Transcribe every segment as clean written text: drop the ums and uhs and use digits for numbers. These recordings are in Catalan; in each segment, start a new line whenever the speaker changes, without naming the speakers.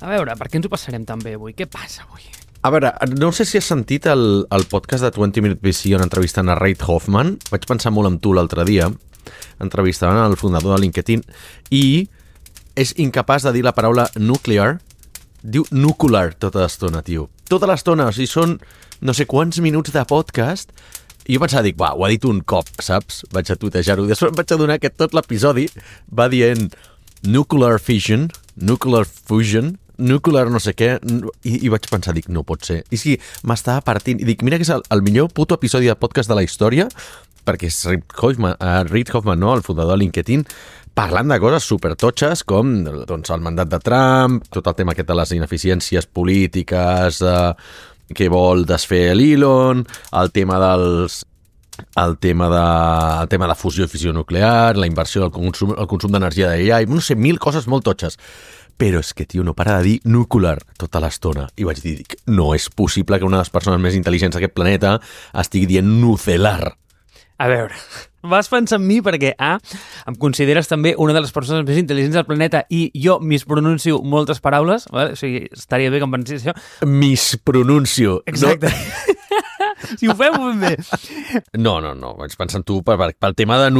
A veure, per què ens ho passarem tan bé avui? Què passa avui?
A veure, no sé si has sentit el podcast de 20 Minute VC on entrevistant a Reid Hoffman. Vaig pensar molt en tu l'altre dia. Entrevistaven el fundador de LinkedIn i és incapaç de dir la paraula nuclear. Diu nuclear tota l'estona, tio. Tota l'estona, o sigui, són no sé quants minuts de podcast i jo pensava, dic, ho ha dit un cop, saps? Vaig a tuitejar-ho. Després em vaig adonar que tot l'episodi va dient nuclear fission, nuclear fusion, nuclear no sé què, i vaig pensar, dic, no pot ser. I sí, m'estava partint, i dic, mira que és el millor puto episodi de podcast de la història, perquè és Reid Hoffman, no?, el fundador de LinkedIn, parlant de coses supertotxes com doncs, el mandat de Trump, tot el tema aquest de les ineficiències polítiques, que vol desfer l'Elon, el tema de fusió i fissió nuclear, la inversió del consum d'energia d'AI, no sé, 1000 coses molt totxes. Però és que, tio, no para de dir nuclear tota l'estona. I vaig dir, no és possible que una de les persones més intel·ligents d'aquest planeta estigui dient nucelar.
A veure, vas pensar en mi perquè, em consideres també una de les persones més intel·ligents del planeta i jo mispronuncio moltes paraules, vale? O sigui, estaria bé que em pensés això.
Mispronuncio.
Exacte. No? Si ho fem, ho fem bé.
No. Vaig pensar en tu pel tema de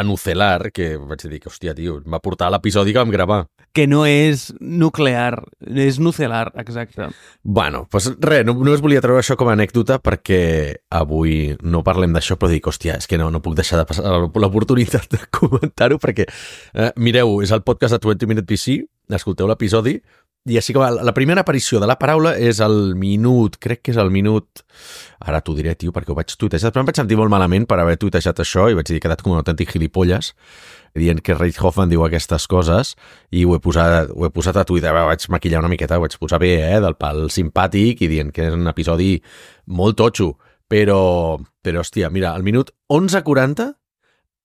nucelar, que vaig dir que, hòstia, tio, em va portar l'episodi que vam gravar.
Que no és nuclear, és nucelar, exacte.
Bueno, doncs res, només volia treure això com a anècdota perquè avui no parlem d'això, però dic, hòstia, és que no puc deixar de passar l'oportunitat de comentar-ho perquè, mireu, és el podcast de 20 Minute VC, escolteu l'episodi, i així com la primera aparició de la paraula és el minut, crec que és el minut... Ara t'ho diré, tio, perquè ho vaig tuitejar, però em vaig sentir molt malament per haver tuitejat això i vaig dir que he quedat com un autèntic gilipolles dient que Reid Hoffman diu aquestes coses i ho he posat a Twitter, vaig maquillar una miqueta, ho vaig posar bé, del pal simpàtic i dient que és un episodi molt totxo, però hòstia, mira, al minut 11:40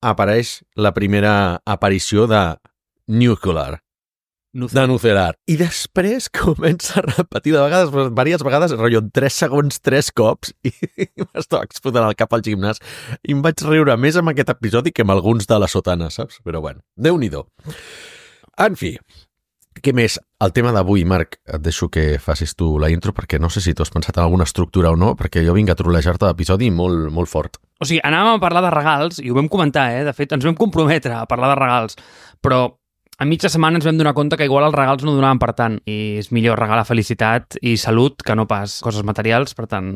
apareix la primera aparició de nuclear. De nucelar. I després comença a repetir de vegades, diverses vegades, rotllo, 3 segons, 3 cops, i m'estava explotant el cap al gimnàs, i em vaig riure més amb aquest episodi que amb alguns de la sotana, saps? Però bueno, Déu-n'hi-do. En fi, què més? El tema d'avui, Marc, et deixo que facis tu la intro, perquè no sé si tu has pensat en alguna estructura o no, perquè jo vinc a trolejar-te l'episodi molt, molt fort.
O sigui, anàvem a parlar de regals, i ho vam comentar, de fet, ens vam comprometre a parlar de regals, però a mitja setmana ens vam donar compte que igual els regals no donaven per tant i és millor regalar felicitat i salut que no pas coses materials, per tant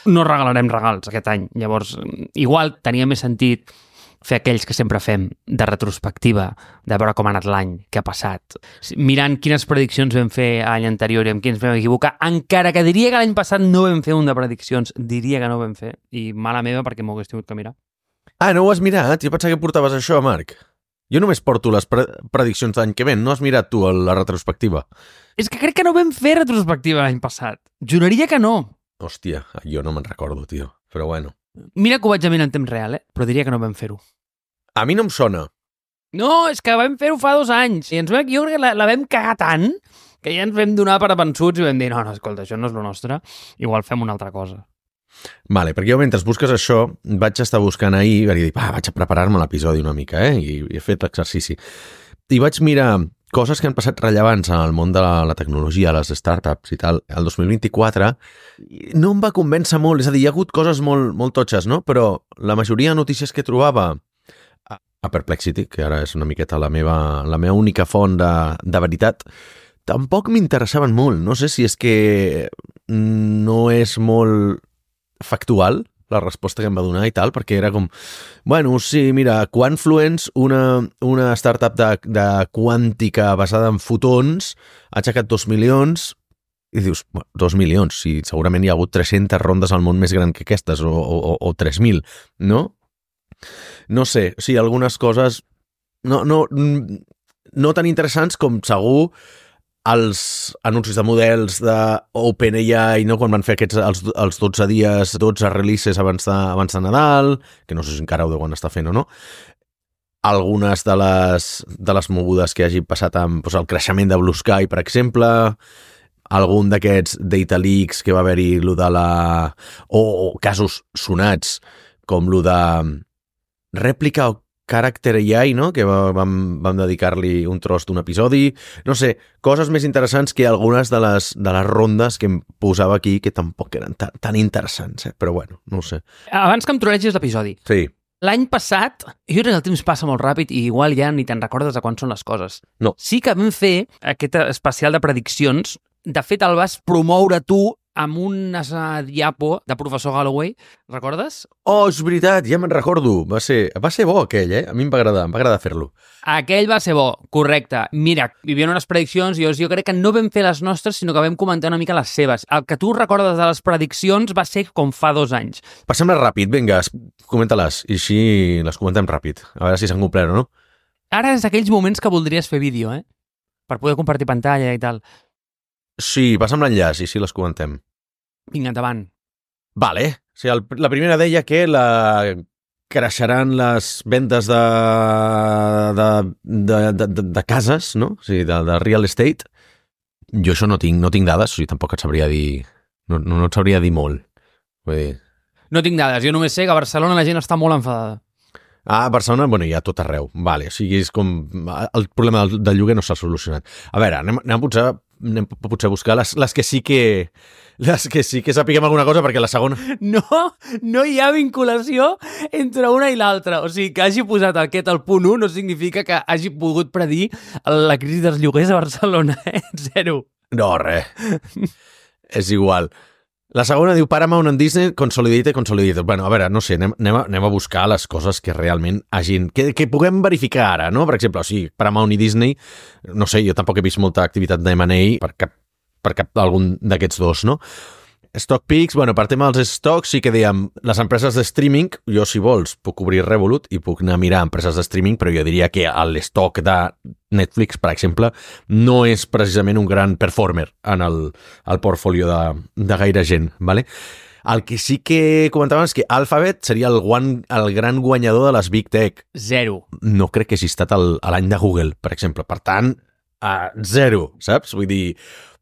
no regalarem regals aquest any. Llavors, igual tenia més sentit fer aquells que sempre fem de retrospectiva, de veure com ha anat l'any, què ha passat, mirant quines prediccions vam fer a l'any anterior i amb quins vam equivocar, encara que diria que l'any passat no vam fer un de prediccions, diria que no vam fer, i mala meva perquè m'ho hagués tingut que mirar.
No ho has mirat? Jo pensava que portaves això, Marc. Jo només porto les prediccions d'any que ven. No has mirat tu la retrospectiva?
És que crec que no vam fer retrospectiva l'any passat. Juraria que no.
Hòstia, jo no me'n recordo, tio. Però bueno.
Mira que ho vaig a mirar en temps real, però diria que no vam fer-ho.
A mi no em sona.
No, és que vam fer-ho fa 2 anys. I jo crec que la vam cagar tant que ja ens vam donar per avençuts i vam dir, no, escolta, això no és lo nostre. Igual fem una altra cosa.
Vale, perquè jo mentre busques això vaig estar buscant ahir i vaig dir, vaig a preparar-me l'episodi una mica, i he fet l'exercici. I vaig mirar coses que han passat rellevants en el món de la tecnologia, les startups i tal, el 2024, no em va convèncer molt, és a dir, hi ha hagut coses molt, molt totxes, no? Però la majoria de notícies que trobava a Perplexity, que ara és una miqueta la meva única font de veritat, tampoc m'interessaven molt. No sé si és que no és molt factual la resposta que em va donar i tal, perquè era com, bueno, sí, mira, Quantfluence, una startup de quàntica basada en fotons, ha aixecat 2 milions, i dius, 2 milions, si segurament hi ha hagut 300 rondes al món més gran que aquestes, o 3.000, no? No sé, o sigui, algunes coses no tan interessants com segur els anuncis de models d'OpenAI, no? Quan van fer els 12 dies, 12 releases abans de Nadal, que no sé si encara ho deuen estar fent o no, algunes de les mogudes que hagi passat amb el creixement de Blue Sky, per exemple, algun d'aquests data leaks que va haver-hi o casos sonats, com lo de Replica Character AI, no? Que vam dedicar-li un tros d'un episodi. No sé, coses més interessants que algunes de les rondes que em posava aquí que tampoc eren tan interessants, però bueno, no ho sé.
Abans que em trolegis l'episodi.
Sí.
L'any passat, jo crec que el temps passa molt ràpid i igual ja ni te'n recordes de quan són les coses.
No.
Sí que vam fer aquest especial de prediccions. De fet, el vas promoure tu amb una diapo de professor Galloway, recordes?
Oh, és veritat, ja me'n recordo. Va ser bo aquell, A mi em va agradar fer-lo.
Aquell va ser bo, correcte. Mira, hi havia unes prediccions i jo crec que no vam fer les nostres, sinó que vam comentar una mica les seves. El que tu recordes de les prediccions va ser com fa 2 anys.
Passem-les ràpid, vinga, comenta-les, i així les comentem ràpid, a veure si s'han complert o no.
Ara és aquells moments que voldries fer vídeo, per poder compartir pantalla i tal.
Sí, passa'm l'enllaç i sí les comentem.
Vinga, endavant.
Vale. O sigui, la primera deia que creixeran les vendes de cases, no? O sigui, de real estate. Jo això no tinc dades, o sigui, tampoc et sabria dir... No et sabria dir molt. Vull dir...
No tinc dades, jo només sé que a Barcelona la gent està molt enfadada.
A Barcelona, bueno, hi ha tot arreu. Vale, o sigui, és com... El problema del lloguer no s'ha solucionat. A veure, anem potser a buscar les que sí que... Les que sí que sapiguem alguna cosa, perquè la segona...
No hi ha vinculació entre una i l'altra. O sigui, que hagi posat aquest al punt 1 no significa que hagi pogut predir la crisi dels lloguers a Barcelona, Zero.
No, res. És igual. La segona diu Paramount and Disney Consolidated. Bueno, a veure, no sé, anem a buscar les coses que realment hagin... Que puguem verificar ara, no? Per exemple, o sigui, Paramount i Disney, no sé, jo tampoc he vist molta activitat d'M&A per cap d'algun d'aquests dos, no? Stock Picks, bueno, per tema dels stocks sí que dèiem, les empreses de streaming, jo si vols puc obrir Revolut i puc anar a mirar empreses de streaming, però jo diria que l'estoc de Netflix, per exemple, no és precisament un gran performer en el portfolio de gaire gent, ¿vale? El que sí que comentàvem és que Alphabet seria el gran guanyador de les Big Tech.
0.
No crec que hagi estat l'any de Google, per exemple. Per tant, 0, saps? Vull dir,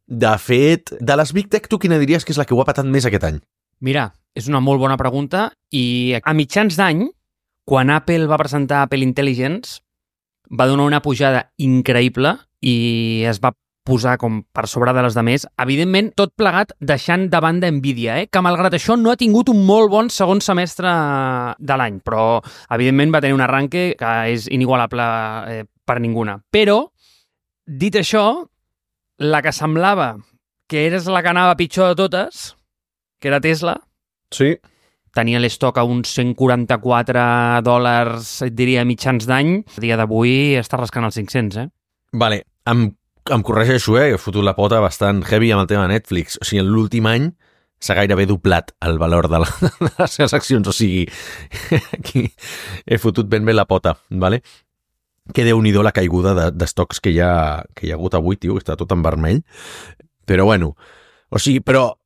de fet, de les Big Tech, tu quina diries que és la que ho ha patat més aquest any?
Mira, és una molt bona pregunta i a mitjans d'any, quan Apple va presentar Apple Intelligence, va donar una pujada increïble i es va posar com per sobre de les demés. Evidentment, tot plegat deixant de banda Nvidia, que malgrat això no ha tingut un molt bon segon semestre de l'any, però evidentment va tenir un arranque que és inigualable per ninguna. Però, dit això, la que semblava que eres la que anava pitjor de totes, que era Tesla,
sí,
tenia l'estoc a uns $144, et diria, mitjans d'any. A dia d'avui està rascant els 500,
Vale, em corregeixo, he fotut la pota bastant heavy amb el tema de Netflix. O sigui, en l'últim any s'ha gairebé doblat el valor de les seves accions. O sigui, aquí he fotut ben bé la pota, vale? Que déu-n'hi-do la caiguda d'estocs que hi ha hagut avui, tio, està tot en vermell. Però bueno, o sigui, però...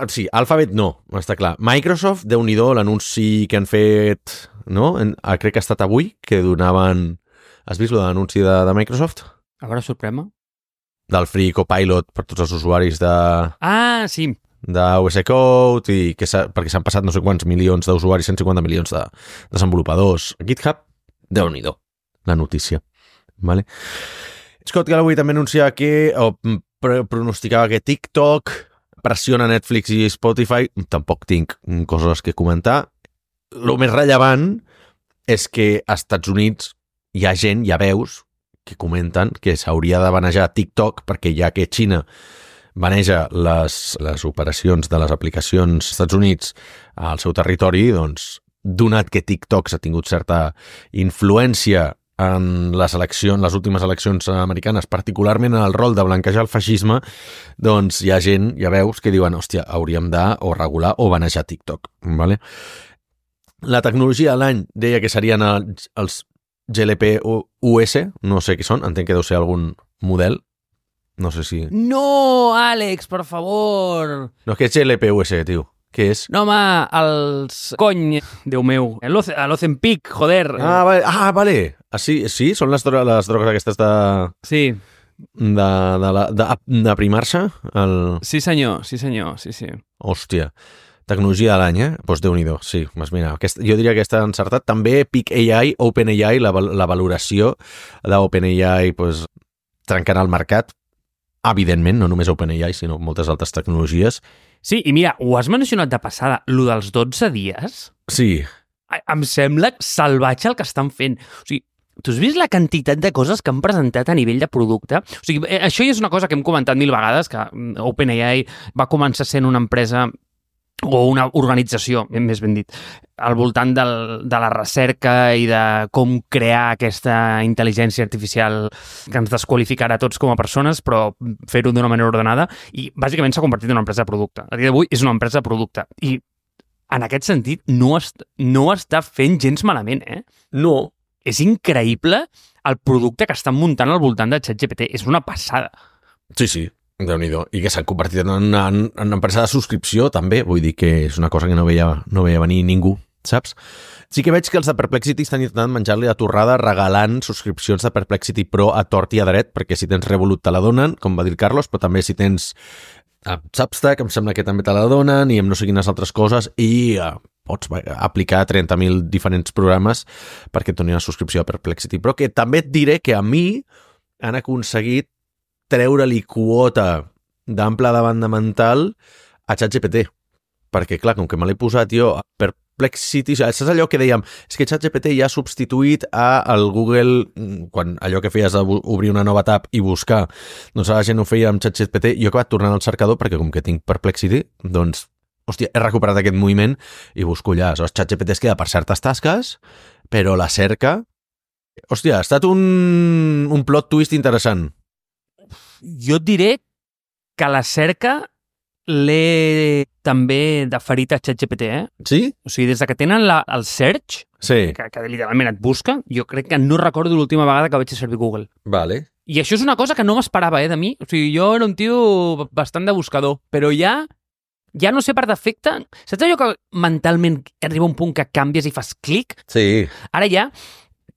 sí, Alphabet no, està clar. Microsoft, déu-n'hi-do l'anunci que han fet, no? Crec que ha estat avui, que donaven... Has vist l'anunci de Microsoft?
A veure, sorprèn-me.
Del Free Copilot per tots els usuaris de...
Ah, sí.
d'OS Code, i perquè s'han passat no sé quants milions d'usuaris, 150 milions de desenvolupadors. GitHub, déu-n'hi-do, la notícia. Vale? Scott Galloway també anunciava pronosticava que TikTok pressiona Netflix i Spotify. Tampoc tinc coses que comentar. El més rellevant és que als Estats Units hi ha gent, hi ha veus, que comenten que s'hauria de banejar TikTok perquè ja que Xina baneja les operacions de les aplicacions als Estats Units al seu territori, doncs, donat que TikTok s'ha tingut certa influència en les últimes eleccions americanes, particularment en el rol de blanquejar el feixisme, doncs hi ha gent, hi ha veus que diuen, hòstia, hauríem de o regular o banejar TikTok. ¿Vale? La tecnologia de l'any deia que serien els GLP-US, no sé què són, entenc que deu ser algun model, no sé si...
No, Àlex, per favor!
No, què és GLP-US, tio? Què és?
No, home, els... Cony, Déu meu. L'Ozempic, joder.
Ah, vale. Sí, són les drogues aquestes de...
Sí.
De primar-se?
Sí, senyor, sí.
Hòstia. tecnologia de l'any, Doncs Déu-n'hi-do, sí. Mira, jo diria que aquesta ha encertat. També Peak AI, OpenAI, la valoració d'OpenAI trencarà el mercat. Evidentment, no només OpenAI, sinó moltes altres tecnologies.
Sí, i mira, ho has mencionat de passada, lo dels 12 dies...
Sí.
Em sembla salvatge el que estan fent. O sigui, tu has vist la quantitat de coses que han presentat a nivell de producte? O sigui, això ja és una cosa que hem comentat 1000 vegades, que OpenAI va començar sent una empresa o una organització, més ben dit, al voltant de la recerca i de com crear aquesta intel·ligència artificial que ens desqualificarà a tots com a persones, però fer-ho d'una manera ordenada, i bàsicament s'ha convertit en una empresa de producte. A dia d'avui és una empresa de producte, i en aquest sentit no està fent gens malament,
No.
És increïble el producte que estan muntant al voltant de ChatGPT. És una passada.
Sí. Déu-n'hi-do. I que s'han convertit en una empresa de subscripció, també. Vull dir que és una cosa que no veia venir ningú, saps? Sí que veig que els de Perplexity estan intentant menjar-li la torrada regalant subscripcions de Perplexity Pro a tort i a dret, perquè si tens Revolut te la donen, com va dir el Carlos, però també si tens Substack, em sembla que també te la donen, i amb no sé quines altres coses, i pots aplicar 30.000 diferents programes perquè et donin la subscripció a Perplexity Pro, que també et diré que a mi han aconseguit treure-li quota d'ample de banda mental a ChatGPT. Perquè, clar, com que me l'he posat jo a Perplexity, saps allò que dèiem? És que ChatGPT ja ha substituït al Google, quan allò que feies obrir una nova tab i buscar, doncs la gent ho feia amb ChatGPT, jo he acabat tornant al cercador perquè com que tinc Perplexity, doncs, hòstia, he recuperat aquest moviment i busco allà. Aleshores, ChatGPT es queda per certes tasques, però la cerca... Hòstia, ha estat un plot twist interessant.
Jo et diré que la cerca l'he també deferit a ChatGPT,
Sí?
O sigui, des que tenen el search,
Sí.
que literalment et busca, jo crec que no recordo l'última vegada que vaig fer servir Google.
Vale.
I això és una cosa que no m'esperava, de mi. O sigui, jo era un tio bastant de buscador, però ja no sé per defecte... Saps allò que mentalment arriba un punt que canvies i fas clic?
Sí.
Ara ja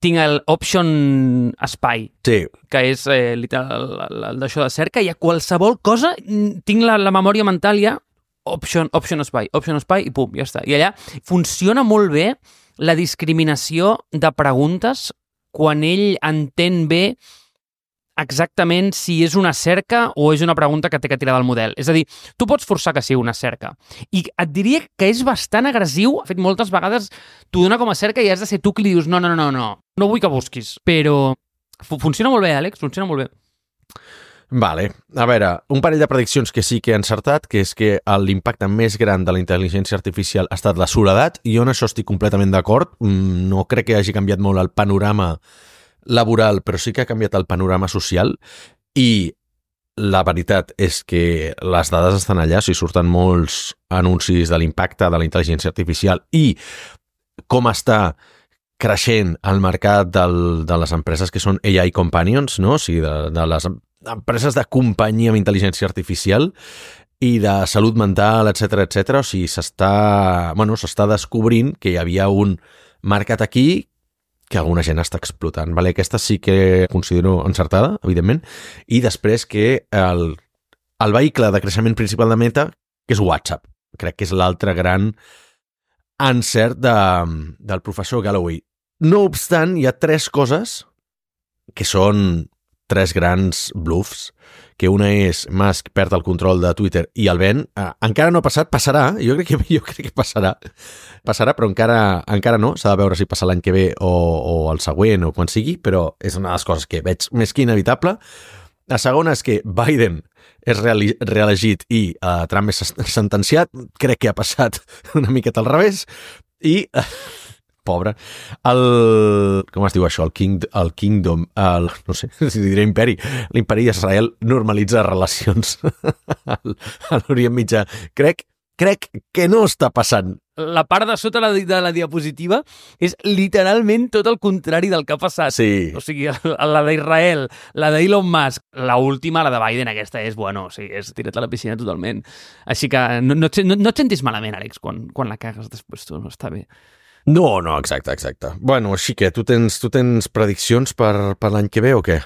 tinc el Option Spy,
Sí.
que és literal d'això de cerca, i a qualsevol cosa tinc la memòria mental ja Option Spy, i pum, ja està. I allà funciona molt bé la discriminació de preguntes quan ell entén bé exactament si és una cerca o és una pregunta que té que tirar del model. És a dir, tu pots forçar que sigui una cerca. I et diria que és bastant agressiu. De fet, moltes vegades t'ho dona com a cerca i has de ser tu qui li dius no vull que busquis. Però funciona molt bé, Àlex, funciona molt bé.
Vale. A veure, un parell de prediccions que sí que he encertat, que és que l'impacte més gran de la intel·ligència artificial ha estat la soledat, i jo en això estic completament d'acord. No crec que hagi canviat molt el panorama laboral, però sí que ha canviat el panorama social, i la veritat és que les dades estan allà, o sigui, surten molts anuncis de l'impacte de la intel·ligència artificial i com està creixent el mercat de les empreses que són AI Companions, no? O sigui, de les empreses de companyia amb intel·ligència artificial i de salut mental, etc. O sigui, s'està descobrint que hi havia un mercat aquí que alguna gent està explotant. Vale? Aquesta sí que considero encertada, evidentment. I després que el vehicle de creixement principal de Meta, que és WhatsApp. Crec que és l'altre gran encert del professor Galloway. No obstant, hi ha 3 coses que són 3 grans bluffs, que una és Musk perd el control de Twitter i el ven. Encara no ha passat, passarà. Jo crec que passarà. Passarà, però encara no. S'ha de veure si passa l'any que ve o el següent o quan sigui, però és una de les coses que veig més que inevitable. La segona és que Biden és reelegit i Trump és sentenciat. Crec que ha passat una miqueta al revés. I... pobre. Com es diu això? El Kingdom, no sé si diré imperi. L'imperi d'Israel normalitza relacions a l'Orient Mitjà. Crec que no està passant.
La part de sota de la diapositiva és literalment tot el contrari del que ha passat.
Sí.
O sigui, la d'Israel, la d'Elon Musk, la última, la de Biden, aquesta és, o sigui, és tirat a la piscina totalment. Així que no et sentis malament, Àlex, quan la cagues després tu, no està bé.
No, exacte. Bueno, així que tu tens prediccions per l'any que ve o què?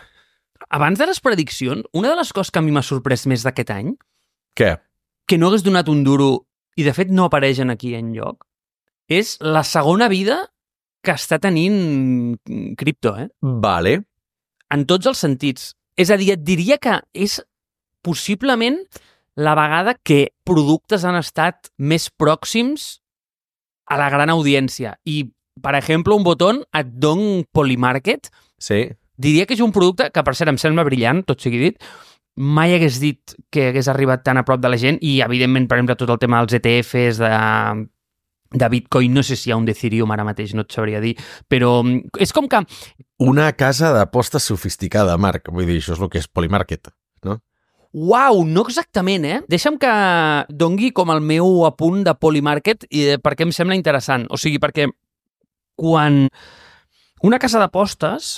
Abans de les prediccions, una de les coses que a mi m'ha sorprès més d'aquest any...
Què?
Que no hagués donat un duro i de fet no apareixen aquí enlloc, és la segona vida que està tenint cripto,
Vale.
En tots els sentits. És a dir, et diria que és possiblement la vegada que productes han estat més pròxims a la gran audiència. I, per exemple, un botó et don Polymarket.
Sí.
Diria que és un producte que, per cert, em sembla brillant, tot sigui dit. Mai hagués dit que hagués arribat tan a prop de la gent i, evidentment, per exemple, tot el tema dels ETFs, de Bitcoin, no sé si hi ha un d'Ethereum ara mateix, no et sabria dir, però és com que...
Una casa d'apostes sofisticada, Marc. Vull dir, això és el que és Polymarket, no?
Uau, no exactament, Deixa'm que dongui com el meu apunt de Polymarket i perquè em sembla interessant. O sigui, perquè quan una casa d'apostes,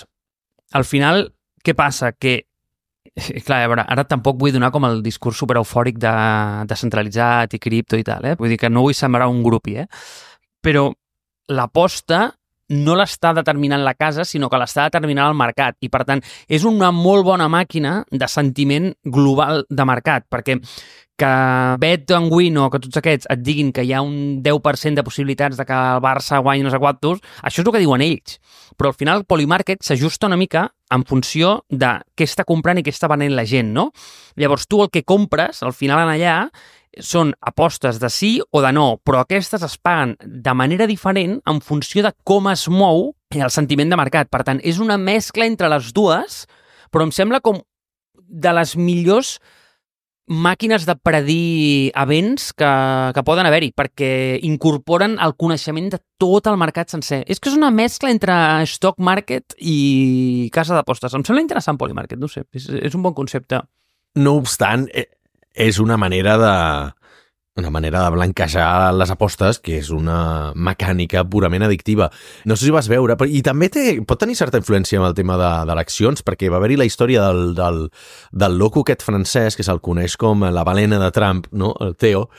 al final, què passa? Que, clar, a veure, ara tampoc vull donar com el discurs super eufòric de descentralitzat i cripto i tal, Vull dir que no vull sembrar un grupi, Però l'aposta no l'està determinant la casa, sinó que l'està determinant el mercat. I, per tant, és una molt bona màquina de sentiment global de mercat, perquè que Bet and Win o que tots aquests et diguin que hi ha un 10% de possibilitats de que el Barça guanyi no sé quantos, això és el que diuen ells. Però al final el Polymarket s'ajusta una mica en funció de què està comprant i què està venent la gent, no? Llavors tu el que compres, al final en allà, són apostes de sí o de no, però aquestes es paguen de manera diferent en funció de com es mou el sentiment de mercat. Per tant, és una mescla entre les dues, però em sembla com de les millors màquines de predir events que poden haver-hi, perquè incorporen el coneixement de tot el mercat sencer. És que és una mescla entre stock market i casa d'apostes. Em sembla interessant Polymarket, no sé, és un bon concepte.
No obstant, és una manera de blanquejar les apostes, que és una mecànica purament addictiva. No sé si vas veure, i també pot tenir certa influència amb el tema d'eleccions, perquè va haver-hi la història del loco aquest francès, que se'l coneix com la balena de Trump, no? El Theo,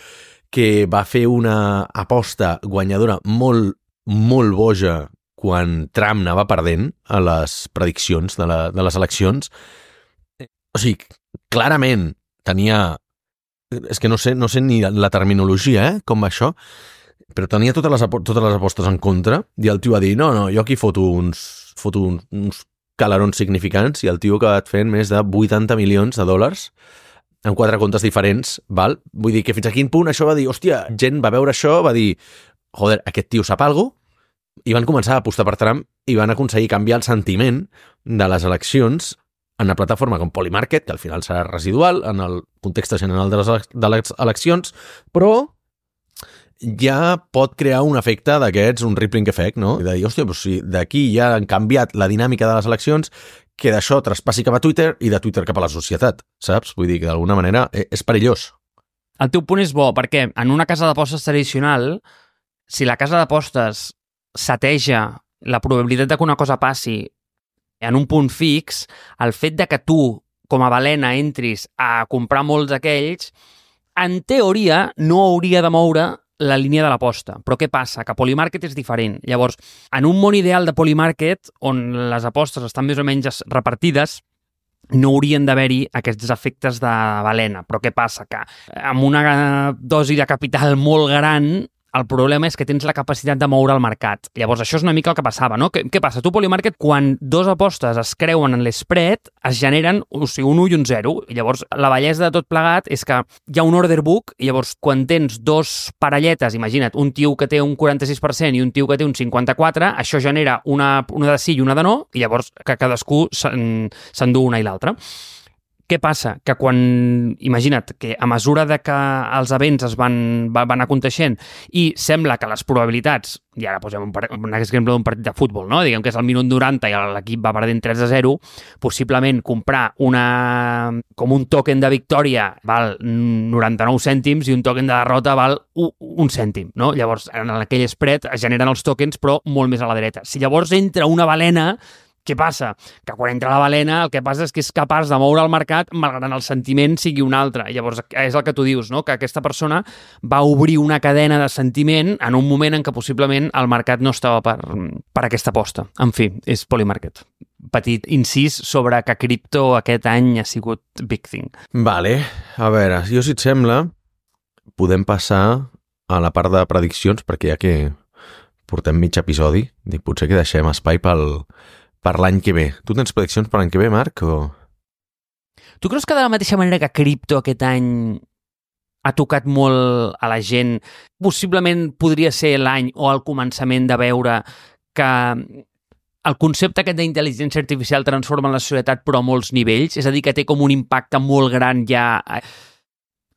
que va fer una aposta guanyadora molt, molt boja quan Trump anava perdent a les prediccions de les eleccions. O sigui, clarament tenia... És que no sé ni la terminologia, com va això, però tenia totes les apostes en contra i el tio va dir, no, jo aquí foto uns calarons significants i el tio ha acabat fent més de 80 milions de dòlars en 4 comptes diferents, val? Vull dir que fins a quin punt això va dir, hòstia, gent va veure això, va dir, joder, aquest tio sap alguna cosa, i van començar a apostar per Trump i van aconseguir canviar el sentiment de les eleccions en una plataforma com Polymarket, que al final serà residual en el context general de les eleccions, però ja pot crear un efecte d'aquests, un rippling effect, no? I de dir, hòstia, doncs si d'aquí ja han canviat la dinàmica de les eleccions, que d'això traspassi cap a Twitter i de Twitter cap a la societat, saps? Vull dir que d'alguna manera és perillós.
El teu punt és bo, perquè en una casa d'apostes tradicional, si la casa d'apostes seteja la probabilitat de que una cosa passi en un punt fix, el fet de que tu, com a balena, entris a comprar molts d'aquells, en teoria no hauria de moure la línia de l'aposta. Però què passa? Que Polymarket és diferent. Llavors, en un món ideal de Polymarket, on les apostes estan més o menys repartides, no haurien d'haver-hi aquests efectes de balena. Però què passa? Que amb una dosi de capital molt gran, el problema és que tens la capacitat de moure el mercat. Llavors, això és una mica el que passava, no? Què passa? Tu, Polymarket, quan dos apostes es creuen en l'spread, es generen un 1 i un 0. I llavors, la bellesa de tot plegat és que hi ha un order book, i llavors, quan tens dos parelletes, imagina't, un tio que té un 46% i un tio que té un 54%, això genera una de sí i una de no, i llavors que cadascú s'endú una i l'altra. Què passa? Que quan, imagina't, que a mesura de que els events es van aconteixent i sembla que les probabilitats, i ara posem un exemple d'un partit de futbol, no? Diguem que és el minut 90 i l'equip va perdent 3-0, possiblement comprar com un token de victòria val 99 cèntims i un token de derrota val un cèntim, no? Llavors, en aquell spread es generen els tokens, però molt més a la dreta. Si llavors entra una balena, què passa? Que quan entra la balena el que passa és que és capaç de moure el mercat malgrat el sentiment sigui un altre. Llavors és el que tu dius, no? Que aquesta persona va obrir una cadena de sentiment en un moment en què possiblement el mercat no estava per aquesta aposta. En fi, és Polymarket. Petit incís sobre que cripto aquest any ha sigut big thing.
Vale, a veure, si et sembla, podem passar a la part de prediccions, perquè ja que portem mig episodi, dic, potser que deixem espai per l'any que ve. Tu tens prediccions per l'any que ve, Marc? O...
Tu creus que de la mateixa manera que cripto aquest any ha tocat molt a la gent, possiblement podria ser l'any o el començament de veure que el concepte aquest d'intel·ligència artificial transforma la societat però a molts nivells, és a dir, que té com un impacte molt gran ja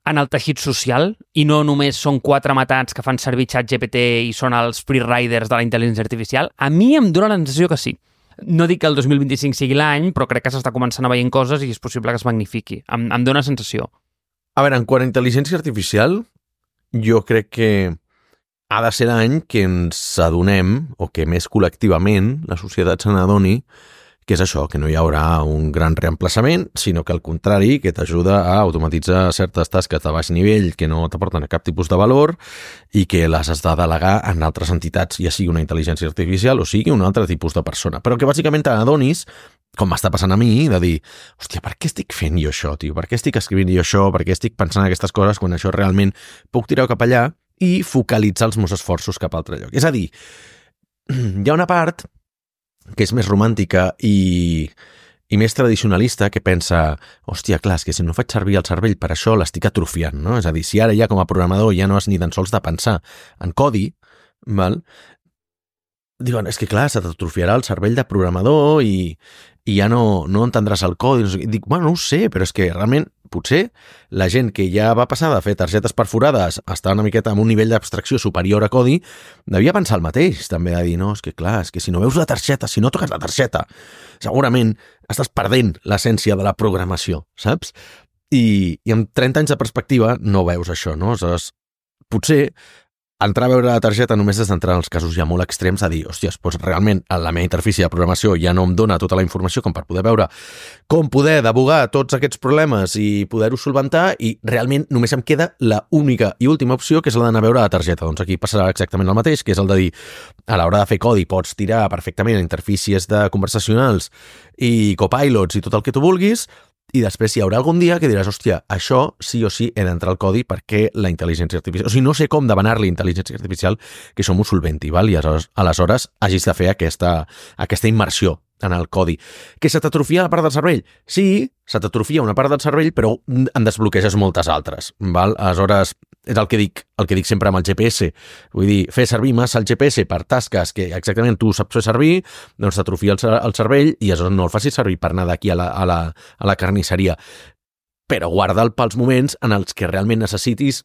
en el teixit social i no només són 4 matats que fan servir ChatGPT i són els free riders de la intel·ligència artificial? A mi em dóna la sensació que sí. No dic que el 2025 sigui l'any, però crec que s'està començant a veient coses i és possible que es magnifiqui. Em dóna sensació.
A veure, en quant a intel·ligència artificial, jo crec que ha de ser l'any que ens adonem, o que més col·lectivament la societat se n'adoni, que és això, que no hi haurà un gran reemplaçament, sinó que al contrari, que t'ajuda a automatitzar certes tasques de baix nivell que no t'aporten cap tipus de valor i que les has de delegar en altres entitats, ja sigui una intel·ligència artificial o sigui un altre tipus de persona. Però que bàsicament t'adonis, com m'està passant a mi, de dir, hòstia, per què estic fent jo això, tio? Per què estic escrivint jo això? Per què estic pensant aquestes coses quan això realment puc tirar cap allà i focalitzar els meus esforços cap a altre lloc? És a dir, hi ha una part que és més romàntica i més tradicionalista, que pensa, hòstia, clar, és que si no faig servir el cervell per això l'estic atrofiant, no? És a dir, si ara ja com a programador ja no has ni tan sols de pensar en codi, val? Diuen, és que clar, se t'atrofiarà el cervell de programador i ja no entendràs el codi. I dic, bueno, no ho sé, però és que realment potser la gent que ja va passar de fer targetes perforades a estar una miqueta amb un nivell d'abstracció superior a codi, devia pensar el mateix, també, de dir, no, és que clar, és que si no veus la targeta, si no toques la targeta, segurament estàs perdent l'essència de la programació, saps? I amb 30 anys de perspectiva no veus això, no? Aleshores, potser entrar a veure la targeta només és d'entrar en els casos ja molt extrems a dir, hòsties, doncs realment la meva interfície de programació ja no em dona tota la informació com per poder veure com poder debugar tots aquests problemes i poder-ho solventar i realment només em queda la única i última opció que és la d'anar a veure la targeta. Doncs aquí passarà exactament el mateix, que és el de dir, a l'hora de fer codi pots tirar perfectament interfícies de conversacionals i copilots i tot el que tu vulguis, i després hi haurà algun dia que diràs, hòstia, això sí o sí he d'entrar al codi perquè la intel·ligència artificial... O sigui, no sé com demanar-li intel·ligència artificial que som ho solventi, val? I aleshores hagis de fer aquesta immersió en el codi. Que se t'atrofia la part del cervell? Sí, se t'atrofia una part del cervell, però en desbloqueges moltes altres, val? Aleshores, és el que dic sempre amb el GPS. Vull dir, fer servir massa el GPS per tasques que exactament tu saps fer servir, doncs t'atrofia el cervell i aleshores no el facis servir per anar d'aquí a la carnisseria. Però guarda'l pels moments en els que realment necessitis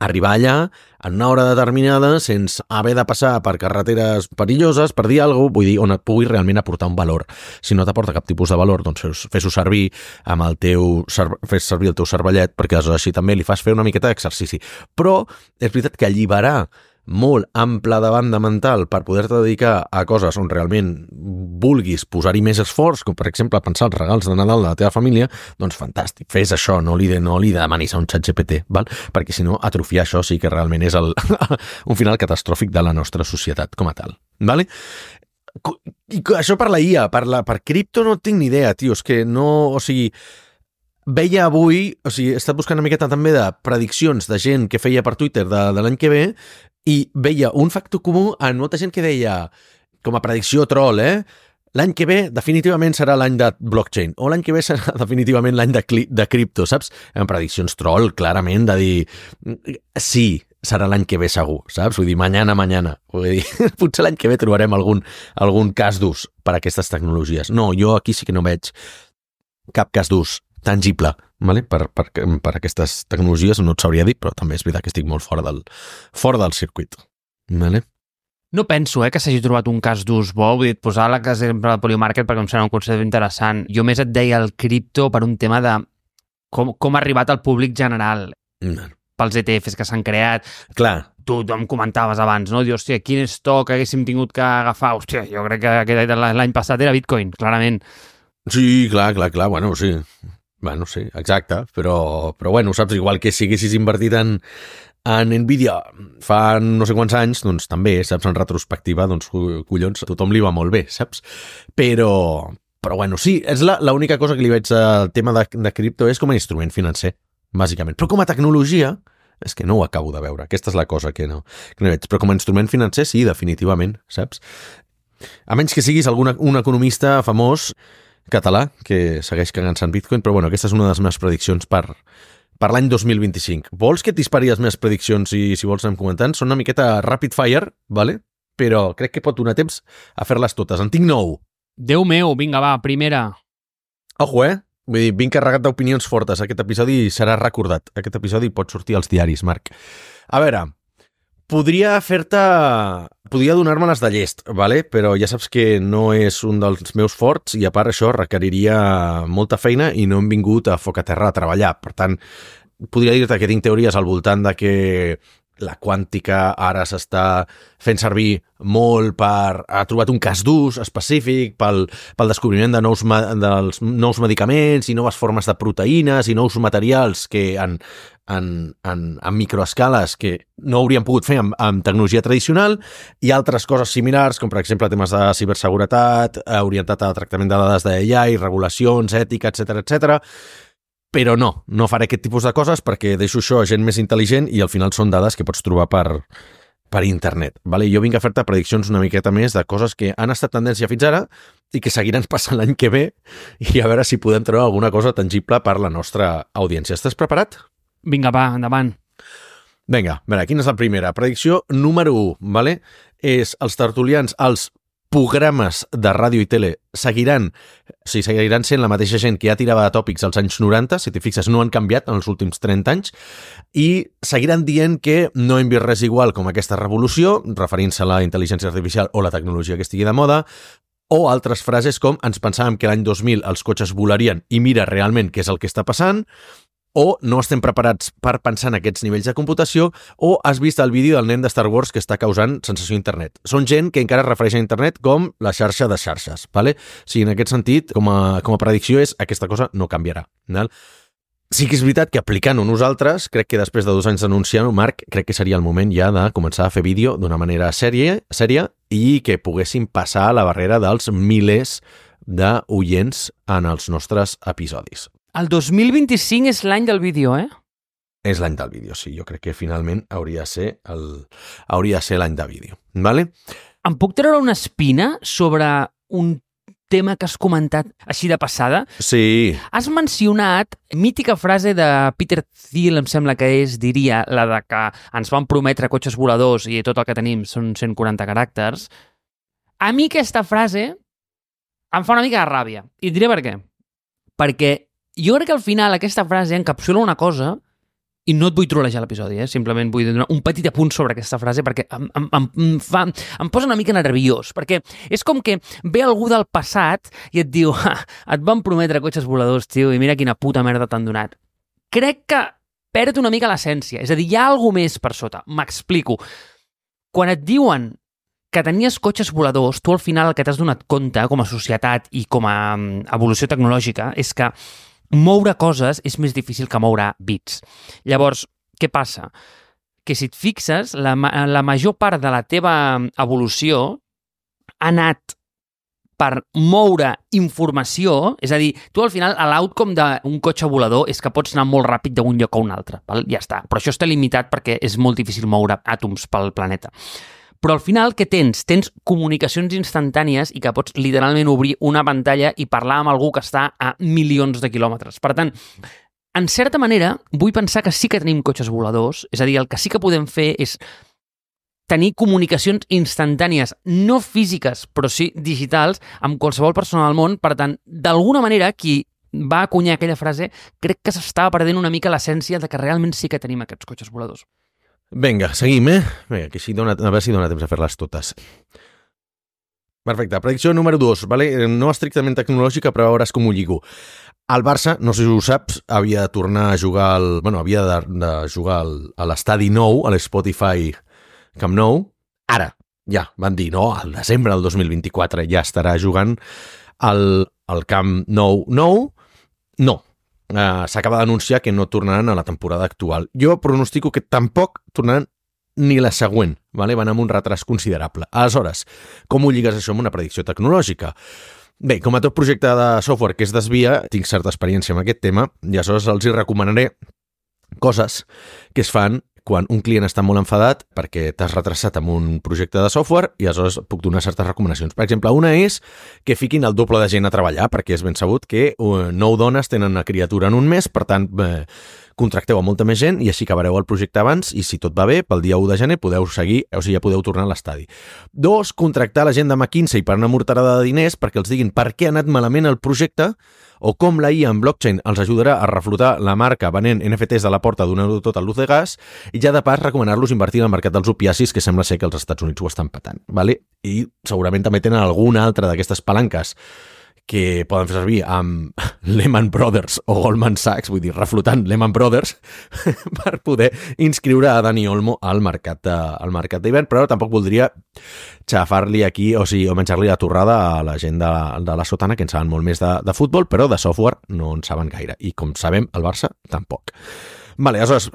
arribar allà en una hora determinada sense haver de passar per carreteres perilloses, per dir alguna cosa, vull dir, on et pugui realment aportar un valor. Si no t'aporta cap tipus de valor, doncs fes-ho servir amb fes servir el teu cervellet, perquè aleshores així també li fas fer una miqueta d'exercici. Però és veritat que alliberar molt ample de banda mental per poder-te dedicar a coses on realment vulguis posar-hi més esforç, com per exemple pensar els regals de Nadal de la teva família, doncs fantàstic, fes això, no li demanis a un ChatGPT, val? Perquè si no, atrofiar això sí que realment és un final catastròfic de la nostra societat com a tal. Vale? I això per la IA, per cripto no tinc ni idea, tio, és que no, o sigui, veia avui, o sigui, he estat buscant una miqueta també de prediccions de gent que feia per Twitter de l'any que ve i veia un factor comú en molta gent que deia, com a predicció troll, l'any que ve definitivament serà l'any de blockchain, o l'any que ve serà definitivament l'any de cripto, saps? En prediccions troll, clarament, de dir, sí, serà l'any que ve segur, saps? Vull dir, mañana. Vull dir, potser l'any que ve trobarem algun cas d'ús per a aquestes tecnologies. No, jo aquí sí que no veig cap cas d'ús tangible, vale? Per aquestes tecnologies, no et sabria dir, però també és veritat que estic molt fora del circuit. Vale?
No penso que s'hagi trobat un cas d'ús bo, vull dir, posar l'exemple del Polymarket perquè em sembla un concepte interessant. Jo més et deia el cripto per un tema de com ha arribat al públic general, pels ETFs que s'han creat.
Clar.
Tu em comentaves abans, no? Dius, hòstia, quin stock haguéssim tingut que agafar? Hòstia, jo crec que l'any passat era Bitcoin, clarament.
Sí, clar, bueno, sí. Bueno, sí, exacte, però bueno, saps, igual que si haguessis invertit en Nvidia fa no sé quants anys, doncs també, saps, en retrospectiva, doncs collons, a tothom li va molt bé, saps? Però bueno, sí, és l'única cosa que li veig al tema de cripto és com a instrument financer, bàsicament. Però com a tecnologia, És que no ho acabo de veure. Aquesta és la cosa que no veig. Però com a instrument financer, sí, definitivament, saps? A menys que siguis un economista famós català que segueix cagant-se en Bitcoin, però bueno, aquesta és una de les meves prediccions per l'any 2025. Vols que et dispari les meves prediccions i si vols anem comentant? Són una miqueta rapid fire, vale? Però crec que pot donar temps a fer-les totes. En tinc 9.
Déu meu, vinga, va, primera.
Ojo, Vull dir, vinc carregat d'opinions fortes. Aquest episodi serà recordat. Aquest episodi pot sortir als diaris, Marc. A veure, podria donar-me-les de llest, vale? Però ja saps que no és un dels meus forts i a part això requeriria molta feina i no hem vingut a foc a terra a treballar. Per tant, podria dir-te que tinc teories al voltant de que la quàntica ara s'està fent servir molt ha trobat un cas d'ús específic pel descobriment dels nous medicaments i noves formes de proteïnes i nous materials que en microescales que no haurien pogut fer amb tecnologia tradicional i altres coses similars, com per exemple temes de ciberseguretat, orientat a tractament de dades d'AI, regulacions, ètica, etc. Però no faré aquest tipus de coses perquè deixo això a gent més intel·ligent i al final són dades que pots trobar per internet. Vale? Jo vinc a fer-te prediccions una miqueta més de coses que han estat tendència fins ara i que seguiran passant l'any que ve i a veure si podem treure alguna cosa tangible per la nostra audiència. Estàs preparat?
Vinga, va, endavant.
Vinga, a veure, quina és la primera? Predicció número 1, vale? És els tertulians, els programes de ràdio i tele seguiran sent la mateixa gent que ja tirava de tòpics als anys 90, si t'hi fixes no han canviat en els últims 30 anys, i seguiran dient que no hem vist res igual com aquesta revolució, referint-se a la intel·ligència artificial o la tecnologia que estigui de moda, o altres frases com ens pensàvem que l'any 2000 els cotxes volarien i mira realment què és el que està passant, o no estem preparats per pensar en aquests nivells de computació, o has vist el vídeo del nen de Star Wars que està causant sensació a internet. Són gent que encara es refereix a internet com la xarxa de xarxes, ¿vale? Sí, en aquest sentit, com a predicció és aquesta cosa no canviarà. ¿Vale? Sí que és veritat que aplicant-ho nosaltres, crec que després de 2 anys d'anunciar-ho, Marc, crec que seria el moment ja de començar a fer vídeo d'una manera sèria i que poguéssim passar la barrera dels milers d'oients en els nostres episodis.
El 2025 és l'any del vídeo,
És l'any del vídeo, sí. Jo crec que finalment hauria de ser l'any de vídeo. Vale?
Em puc treure una espina sobre un tema que has comentat així de passada?
Sí.
Has mencionat mítica frase de Peter Thiel, em sembla que diria la de que ens van prometre cotxes voladors i tot el que tenim són 140 caràcters. A mi aquesta frase em fa una mica de ràbia. I et diré per què. Perquè jo crec que al final aquesta frase encapsula una cosa i no et vull trolejar l'episodi, simplement vull donar un petit apunt sobre aquesta frase perquè em posa una mica nerviós, perquè és com que ve algú del passat i et diu et van prometre cotxes voladors, tio, i mira quina puta merda t'han donat. Crec que perd una mica l'essència, és a dir, hi ha alguna més per sota. M'explico. Quan et diuen que tenies cotxes voladors, tu al final el que t'has donat compte com a societat i com a evolució tecnològica és que moure coses és més difícil que moure bits. Llavors, què passa? Que si et fixes, la major part de la teva evolució ha anat per moure informació, és a dir, tu al final l'outcome d'un cotxe volador és que pots anar molt ràpid d'un lloc a un altre, val? Ja està. Però això està limitat perquè és molt difícil moure àtoms pel planeta. Però al final, què tens? Tens comunicacions instantànies i que pots literalment obrir una pantalla i parlar amb algú que està a milions de quilòmetres. Per tant, en certa manera, vull pensar que sí que tenim cotxes voladors, és a dir, el que sí que podem fer és tenir comunicacions instantànies, no físiques, però sí digitals, amb qualsevol persona del món. Per tant, d'alguna manera, qui va acunyar aquella frase, crec que s'estava perdent una mica l'essència de que realment sí que tenim aquests cotxes voladors.
Vinga, seguim, Vinga, que a veure si dona temps a fer-les totes. Perfecte, predicció número 2, vale? No estrictament tecnològica, però veuràs com ho lligo. El Barça, no sé si ho saps, havia de tornar a jugar havia de jugar a l'estadi nou, a l'Spotify Camp Nou. Ara, ja, van dir, no, al desembre del 2024 ja estarà jugant al Camp Nou. No. S'acaba d'anunciar que no tornaran a la temporada actual. Jo pronostico que tampoc tornaran ni la següent, vale? Van amb un retras considerable. Aleshores, com ho lligues això amb una predicció tecnològica? Bé, com a tot projecte de software que es desvia, tinc certa experiència amb aquest tema i aleshores els hi recomanaré coses que es fan quan un client està molt enfadat perquè t'has retrasat amb un projecte de software i aleshores puc donar certes recomanacions. Per exemple, una és que fiquin el doble de gent a treballar, perquè és ben sabut que 9 dones tenen una criatura en un mes, per tant, contracteu a molta més gent i així acabareu el projecte abans i si tot va bé, pel dia 1 de gener podeu seguir, o sigui, ja podeu tornar a l'estadi. 2, contractar la gent de McKinsey per una morterada de diners perquè els diguin per què ha anat malament el projecte o com la IA en blockchain els ajudarà a reflotar la marca venent NFTs de la porta donant-ho tot a luz de gas i ja de pas recomanar-los invertir en el mercat dels opiacis que sembla ser que els Estats Units ho estan patant. ¿Vale? I segurament també tenen alguna altra d'aquestes palanques que poden fer servir amb Lehman Brothers o Goldman Sachs, vull dir, reflotant Lehman Brothers, per poder inscriure a Dani Olmo al mercat d'hivern, però tampoc voldria xafar-li aquí, o menjar-li la torrada a la gent de la sotana, que en saben molt més de futbol, però de software no en saben gaire. I com sabem, el Barça tampoc. Vale, aleshores,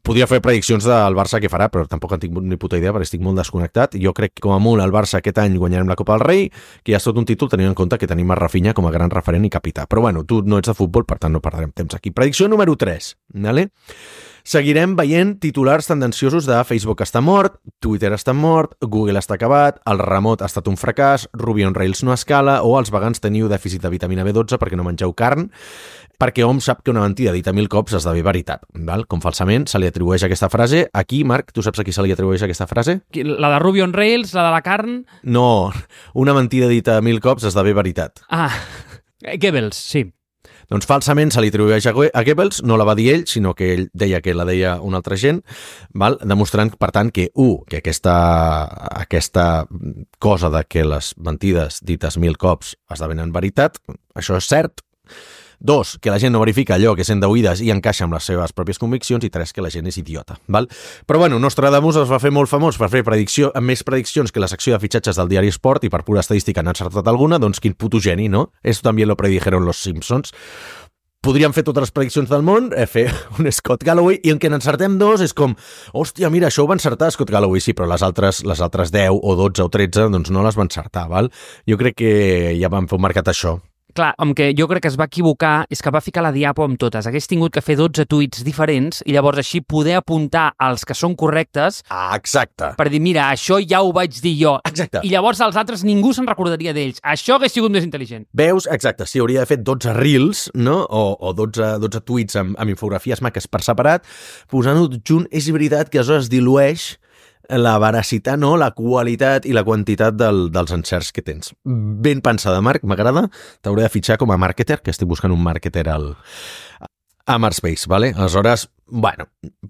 podria fer prediccions del Barça que farà, però tampoc en tinc ni puta idea perquè estic molt desconnectat. Jo crec que com a molt el Barça aquest any guanyarem la Copa del Rei, que ja és tot un títol tenint en compte que tenim a Rafinha com a gran referent i capità. Però bueno, tu no ets de futbol, per tant no perdrem temps aquí. Predicció número 3, ¿vale? Seguirem veient titulars tendenciosos de Facebook està mort, Twitter està mort, Google està acabat, el remot ha estat un fracàs, Ruby on Rails no escala o els vegans teniu dèficit de vitamina B12 perquè no mengeu carn, perquè hom sap que una mentida dita 1000 cops esdevé veritat. Val? Com falsament se li atribueix aquesta frase. Aquí, Marc, tu saps a qui se li atribueix aquesta frase?
La de Ruby on Rails, la de la carn...
No, una mentida dita 1000 cops esdevé veritat.
Ah, Goebbels, sí.
Doncs falsament se li atribueix a Goebbels, no la va dir ell, sinó que ell deia que la deia una altra gent, val? Demostrant, per tant, que que aquesta cosa de que les mentides dites 1000 cops esdevenen veritat, això és cert. 2, que la gent no verifica allò que sent d'oïdes i encaixa amb les seves pròpies conviccions. I 3, que la gent és idiota. Val? Però bueno, Nostradamus es va fer molt famós per fer amb més prediccions que la secció de fitxatges del diari Sport i per pura estadística n'ha encertat alguna, doncs quin puto geni, no? Esto también lo predijeron los Simpsons. Podríem fer totes les prediccions del món, fer un Scott Galloway, i en què n'encertem 2 és com, hòstia, mira, això ho va encertar Scott Galloway, sí, però les altres 10 o 12 o 13 doncs no les va encertar, val? Jo crec que ja vam fer un mercat això.
Clar, amb què jo crec que es va equivocar és que va ficar la diapo amb totes. Hagués tingut que fer 12 tuits diferents i llavors així poder apuntar als que són correctes.
Ah, exacte.
Per dir, mira, això ja ho vaig dir jo.
Exacte.
I llavors els altres ningú se'n recordaria d'ells. Això hagués sigut més intel·ligent.
Veus? Exacte. Sí, hauria de fer 12 reels, no? O 12 tuits amb infografies maques per separat. Posant-ho junt, és veritat que aleshores dilueix la veracitat, no? La qualitat i la quantitat dels encerts que tens. Ben pensada, Marc, m'agrada. T'hauré de fitxar com a marketer, que estic buscant un marketer a Marspace, ¿vale? Aleshores, bueno,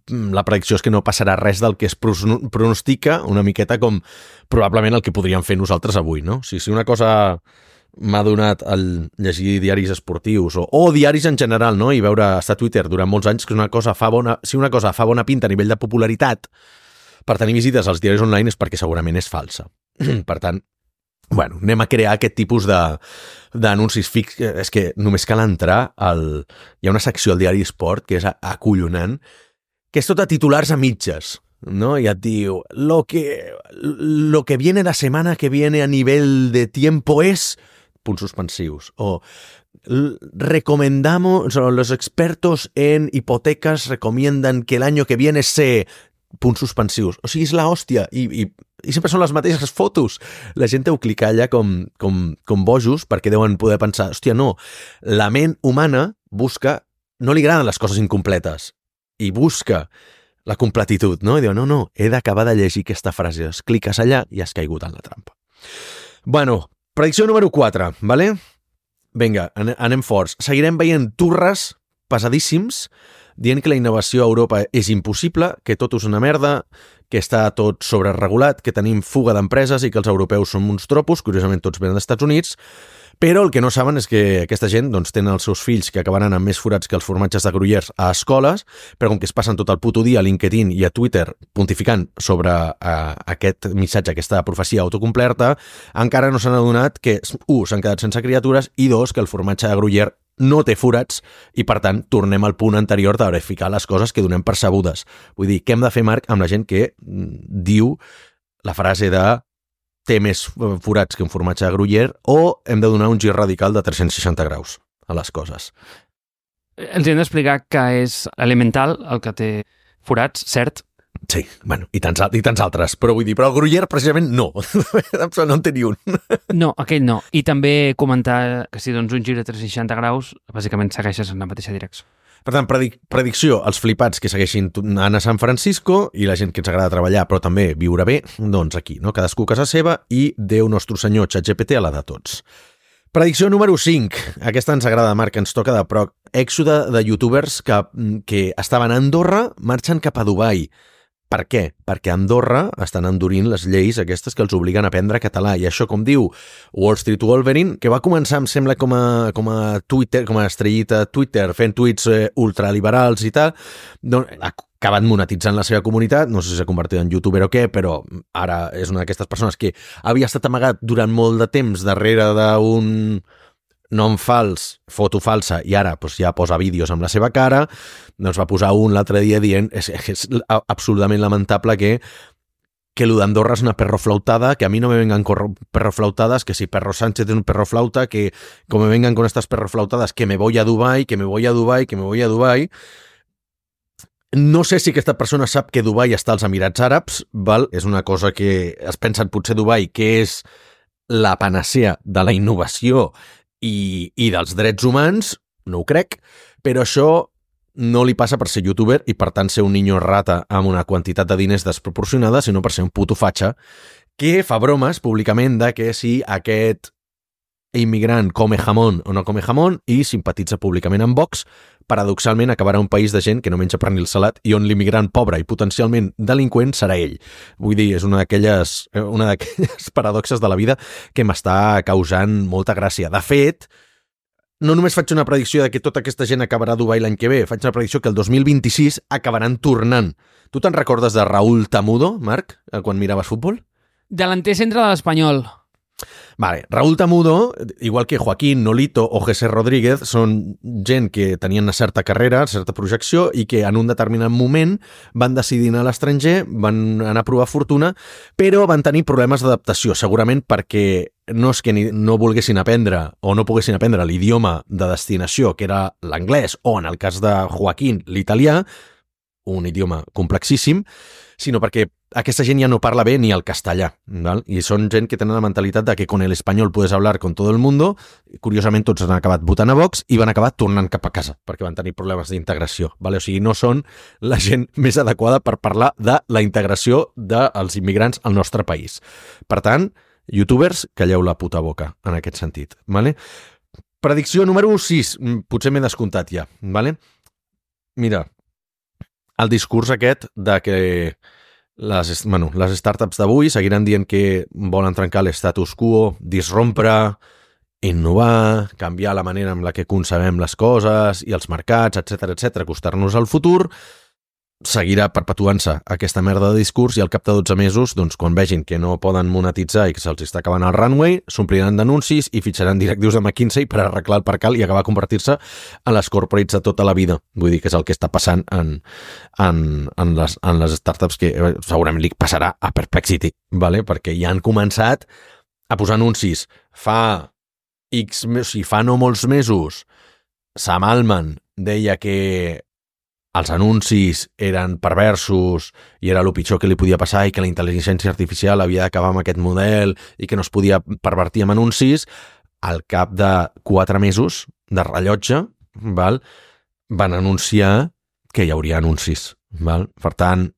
la predicció és que no passarà res del que es pronostica, una miqueta com probablement el que podríem fer nosaltres avui, no? Si una cosa m'ha donat el llegir diaris esportius o diaris en general, no? I veure estar a Twitter durant molts anys, que si una cosa fa bona pinta a nivell de popularitat per tenir visites als diaris online és perquè segurament és falsa. Per tant, bueno, anem a crear aquest tipus d'anuncis fix. És que només cal entrar hi ha una secció al diari Sport que és acollonant, que és tot a titulars a mitges, ¿no? Y et diu, lo que viene la semana que viene a nivel de tiempo es... punts suspensius. O los expertos en hipotecas recomiendan que el año que viene se... punts suspensius. O sigui, és la hòstia. I sempre són les mateixes fotos. La gent deu clicar allà com bojos perquè deuen poder pensar, hòstia, no, la ment humana busca, no li agraden les coses incompletes i busca la completitud, no? I diu, no, he d'acabar de llegir aquesta frase. Es cliques allà i has caigut en la trampa. Bueno, predicció número 4, ¿vale? Vinga, anem forts. Seguirem veient turres pesadíssims dient que la innovació a Europa és impossible, que tot és una merda, que està tot sobreregulat, que tenim fuga d'empreses i que els europeus són uns tropos, curiosament tots venen dels Estats Units, però el que no saben és que aquesta gent doncs, tenen els seus fills que acabaran amb més forats que els formatges de Gruyères a escoles, però com que es passen tot el puto dia a LinkedIn i a Twitter pontificant sobre aquest missatge, aquesta profecia autocomplerta, encara no s'han adonat que, 1, s'han quedat sense criatures i 2, que el formatge de Gruyère no té forats i, per tant, tornem al punt anterior de verificar les coses que donem per sabudes. Vull dir, què hem de fer, Marc, amb la gent que diu la frase de té més forats que un formatge de Gruyère o hem de donar un gir radical de 360 graus a les coses?
Els hem d'explicar que és elemental el que té forats, cert,
Sí, bueno, i tants altres. Però vull dir, però el Gruyère precisament no. No en té ni un.
No, aquell no. I també comentar que si dones un gir de 360 graus, bàsicament segueixes en la mateixa direcció.
Per tant, predicció, els flipats que segueixin anant a San Francisco i la gent que ens agrada treballar però també viure bé, doncs aquí, no? Cadascú a casa seva i Déu nostre senyor ChatGPT a la de tots. Predicció número 5. Aquesta ens agrada, Marc, ens toca de proc. Èxode de youtubers que estaven a Andorra marxen cap a Dubai. Per què? Perquè a Andorra estan endurint les lleis aquestes que els obliguen a aprendre català. I això, com diu Wall Street Wolverine, que va començar, em sembla, com a Twitter, com a estrellita Twitter, fent tuits ultraliberals i tal, doncs ha acabat monetitzant la seva comunitat, no sé si s'ha convertit en youtuber o què, però ara és una d'aquestes persones que havia estat amagat durant molt de temps darrere d'un nom fals, foto falsa, i ara doncs, ja posa vídeos amb la seva cara, doncs va posar un l'altre dia dient és absolutament lamentable que lo d'Andorra és una perroflautada, que a mi no me vengan con perroflautadas, que si Perro Sánchez es un perroflauta, que como me vengan con estas perroflautadas, que me voy a Dubai, que me voy a Dubai, que me voy a Dubai. No sé si aquesta persona sap que Dubai està als Emirats Àrabs, val? És una cosa que es pensen potser Dubai, que és la panacea de la innovació i dels drets humans, no ho crec, però això no li passa per ser youtuber i per tant ser un niño rata amb una quantitat de diners desproporcionada, sinó per ser un puto fatxa que fa bromes públicament de que si aquest immigrant come jamón o no come jamón i simpatitza públicament amb Vox, paradoxalment acabarà un país de gent que no menja pernil salat i on l'immigrant pobre i potencialment delinqüent serà ell. Vull dir, és una d'aquelles paradoxes de la vida que m'està causant molta gràcia. De fet, no només faig una predicció de que tota aquesta gent acabarà a Dubai l'any que ve, faig una predicció que el 2026 acabaran tornant. Tu te'n recordes de Raúl Tamudo, Marc, quan miraves futbol?
Delanter centre de l'Espanyol.
Vale, Raúl Tamudo, igual que Joaquín Nolito o José Rodríguez, són gent que tenien una certa carrera, certa projecció i que en un determinat moment van decidir anar a l'estranger, van anar a provar fortuna, però van tenir problemes d'adaptació, segurament perquè no és que no volguessin aprendre o no poguessin aprendre l'idioma de destinació, que era l'anglès, o en el cas de Joaquín, l'italià, un idioma complexíssim, sinó perquè aquesta gent ja no parla bé ni el castellà, ¿vale? I són gent que tenen la mentalitat de que con el espanyol puedes hablar con todo el mundo. Curiosament, tots han acabat votant a Vox i van acabar tornant cap a casa, perquè van tenir problemes d'integració, ¿vale? O sigui, no són la gent més adequada per parlar de la integració dels immigrants al nostre país. Per tant, youtubers, calleu la puta boca en aquest sentit, ¿vale? Predicció número 6, potser m'he descomptat ja, ¿vale? Mira, el discurs aquest de que les startups d'avui seguiran dient que volen trencar l'estatus quo, disrompre, innovar, canviar la manera en la que concebem les coses i els mercats, etc, acostar-nos al futur, seguirà perpetuant-se aquesta merda de discurs i al cap de 12 mesos, doncs, quan vegin que no poden monetitzar i que se'ls està acabant el runway, s'ompliran d'anuncis i fitxaran directius de McKinsey per arreglar el percal i acabar convertir-se en les corporates de tota la vida. Vull dir que és el que està passant en les startups que segurament li passarà a Perplexity, ¿vale? Perquè ja han començat a posar anuncis. Fa no molts mesos, Sam Altman deia que els anuncis eren perversos i era el pitjor que li podia passar i que la intel·ligència artificial havia d'acabar amb aquest model i que no es podia pervertir amb anuncis, al cap de 4 mesos de rellotge, val, van anunciar que hi hauria anuncis. Val? Per tant,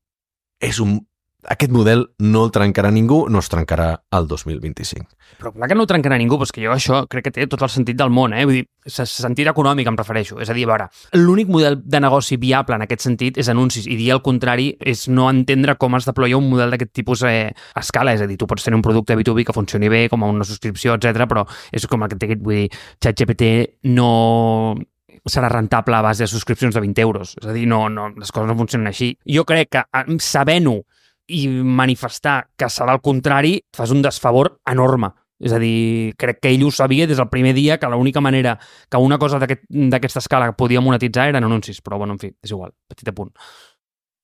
aquest model no el trencarà ningú, no es trencarà el 2025.
Però clar que no ho trencarà ningú, però és que jo això crec que té tot el sentit del món, Vull dir, sentit econòmic em refereixo. És a dir, a veure, l'únic model de negoci viable en aquest sentit és anuncis, i dir el contrari és no entendre com es deploia un model d'aquest tipus a escala. És a dir, tu pots tenir un producte B2B que funcioni bé, com una subscripció, etc, però és com el que té, vull dir, ChatGPT no serà rentable a base de subscripcions de 20 euros. És a dir, no, les coses no funcionen així. Jo crec que sabent-ho i manifestar que serà el contrari, fas un desfavor enorme. És a dir, crec que ell ho sabia des del primer dia que l'única manera que una cosa d'aquesta escala podia monetitzar eren anuncis, però bueno, en fi, és igual, petit apunt.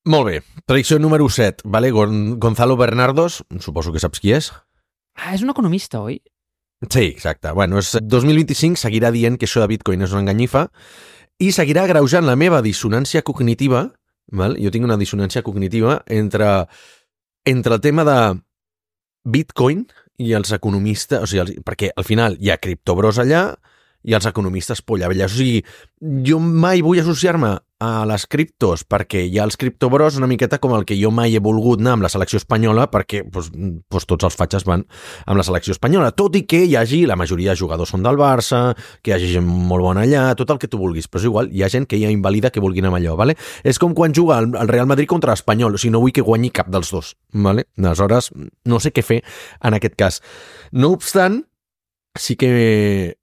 Molt bé, predicció número 7, ¿vale? Gonzalo Bernardos, suposo que saps qui és.
És un economista, oi?
Sí, exacte. Bueno, 2025 seguirà dient que això de Bitcoin és una enganyifa i seguirà agreujant la meva dissonància cognitiva val? Jo tinc una dissonància cognitiva entre el tema de Bitcoin i els economistes, o sigui, perquè al final hi ha criptobros allà i els economistes polla vella. O sigui, jo mai vull associar-me a les criptos perquè hi ha els criptobros una miqueta com el que jo mai he volgut anar amb la selecció espanyola perquè tots els fatxes van amb la selecció espanyola, tot i que hi hagi, la majoria de jugadors són del Barça, que hi hagi gent molt bona allà, tot el que tu vulguis, però és igual, hi ha gent que ja invalida que vulguin amb allò, ¿vale? És com quan juga el Real Madrid contra l'Espanyol, o sigui, no vull que guanyi cap dels dos, ¿vale? Aleshores, no sé què fer en aquest cas. No obstant, sí que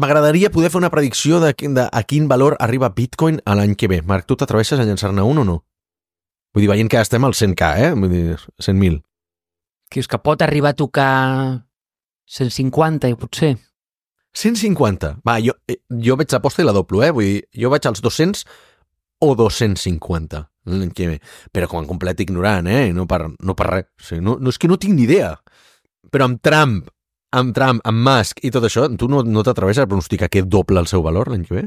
m'agradaria poder fer una predicció de a quin valor arriba Bitcoin a l'any que ve. Marc, tu t'atreveixes a llançar-ne un o no? Vull dir, veient que estem al 100K, Vull dir, 100.000.
Que és que pot arribar a tocar 150, potser.
150? Va, jo veig l'aposta i la doblo, Vull dir, jo vaig als 200 o 250 l'any que ve. Però com a complet ignorant, No per res. O sigui, no, és que no tinc ni idea. Però amb Trump, amb Musk i tot això, tu no t'atreveixes a pronosticar que doble el seu valor l'any que ve?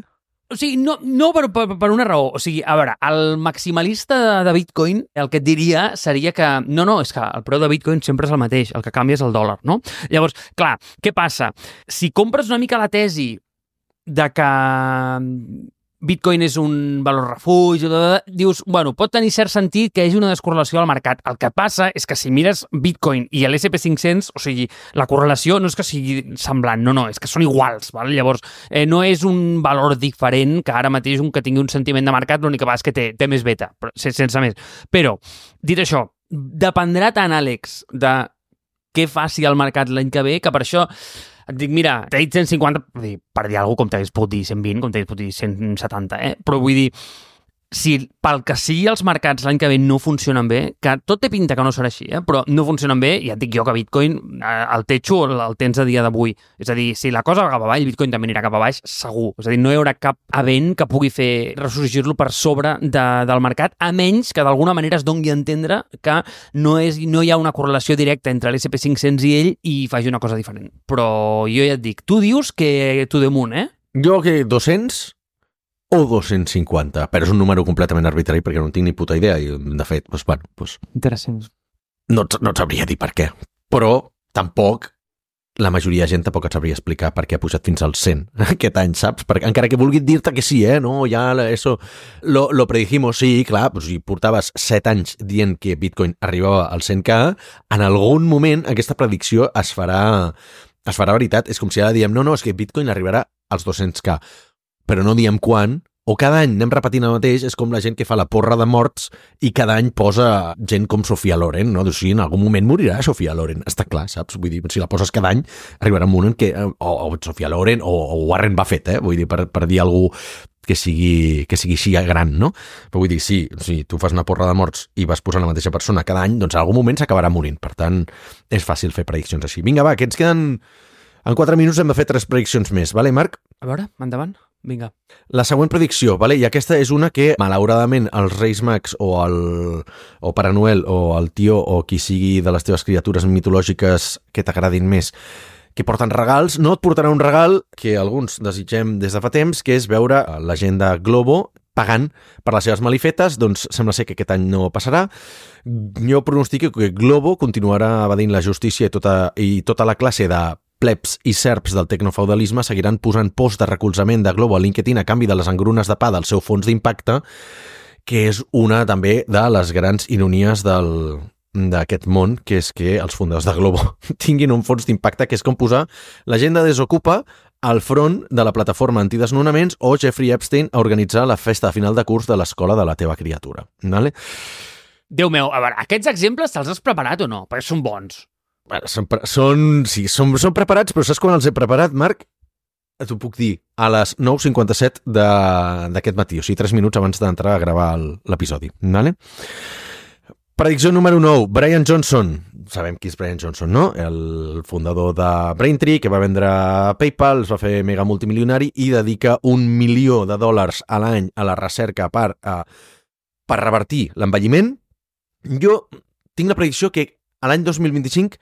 O sigui, no per una raó. O sigui, a veure, el maximalista de Bitcoin el que et diria seria que no, és que el preu de Bitcoin sempre és el mateix, el que canvia és el dòlar, no? Llavors, clar, què passa? Si compres una mica la tesi de que Bitcoin és un valor refugi, dius, bueno, pot tenir cert sentit que hi hagi una descorrelació al mercat. El que passa és que si mires Bitcoin i l'S&P 500, o sigui, la correlació no és que sigui semblant, no, és que són iguals, val? Llavors, no és un valor diferent que ara mateix un que tingui un sentiment de mercat, l'únic que va és que té més beta, sense més. Però, dit això, dependrà tant, Àlex, de què faci el mercat l'any que ve, que per això et dic, mira, t'he dit 150, per dir alguna cosa, com t'hagués pogut dir 120, com t'hagués pogut dir 170, Però vull dir, si pel que sigui els mercats l'any que ve no funcionen bé, que tot té pinta que no serà així, però no funcionen bé, ja et dic jo que Bitcoin, el techo el tens a dia d'avui. És a dir, si la cosa va cap avall, Bitcoin també anirà cap a baix, segur. És a dir, no hi haurà cap event que pugui fer ressorgir-lo per sobre del mercat, a menys que d'alguna manera es doni a entendre que no hi ha una correlació directa entre l'S&P 500 i ell i faci una cosa diferent. Però jo ja et dic, tu dius que to the moon,
Jo que 200 o 250, però és un número completament arbitrari perquè no en tinc ni puta idea i, de fet,
Interessant.
No et sabria dir per què, però tampoc la majoria de gent tampoc et sabria explicar per què ha pujat fins al 100 aquest any, saps? Perquè, encara que vulgui dir-te que sí, no, ja eso lo predijimos, sí, clar, si portaves 7 anys dient que Bitcoin arribava al 100K, en algun moment aquesta predicció es farà veritat. És com si ara diem, no, és que Bitcoin arribarà als 200K, però no diem quan, o cada any anem repetint el mateix. És com la gent que fa la porra de morts i cada any posa gent com Sofia Loren, no? O sigui, en algun moment morirà Sofia Loren, està clar, saps? Vull dir, si la poses cada any, arribarà un moment que o Sofia Loren o Warren Buffett, vull dir, per dir algú que sigui així gran, no? Però vull dir, si tu fas una porra de morts i vas posant la mateixa persona cada any, doncs en algun moment s'acabarà morint. Per tant, és fàcil fer prediccions així. Vinga, va, que ens queden... En 4 minuts hem de fer 3 prediccions més, vale, Marc?
A veure, endavant. Vinga.
La següent predicció, vale? I aquesta és una que, malauradament, els Reis Mags o Pare Noel o el tio o qui sigui de les teves criatures mitològiques que t'agradin més, que porten regals, no et portarà un regal que alguns desitgem des de fa temps, que és veure l'agenda Globo pagant per les seves malifetes. Doncs sembla ser que aquest any no passarà. Jo pronostico que Globo continuarà evadint la justícia i tota la classe de plebs i serps del tecnofeudalisme seguiran posant posts de recolzament de Globo a LinkedIn a canvi de les engrunes de pa del seu fons d'impacte, que és una també de les grans ironies d'aquest món, que és que els fundadors de Globo tinguin un fons d'impacte, que és com posar la gent de Desokupa al front de la plataforma antidesnonaments o Jeffrey Epstein a organitzar la festa de final de curs de l'escola de la teva criatura. Vale?
Déu meu, a veure, aquests exemples te'ls has preparat o no? Perquè són bons.
Són preparats, però saps quan els he preparat, Marc? T'ho puc dir, a les 9:57 d'aquest matí, o sigui, 3 minuts abans d'entrar a gravar l'episodi. Vale? Predicció número 9, Brian Johnson. Sabem qui és Brian Johnson, no? El fundador de Braintree, que va vendre PayPal, es va fer mega multimilionari i dedica $1 milió a l'any a la recerca per revertir l'envelliment. Jo tinc la predicció que a l'any 2025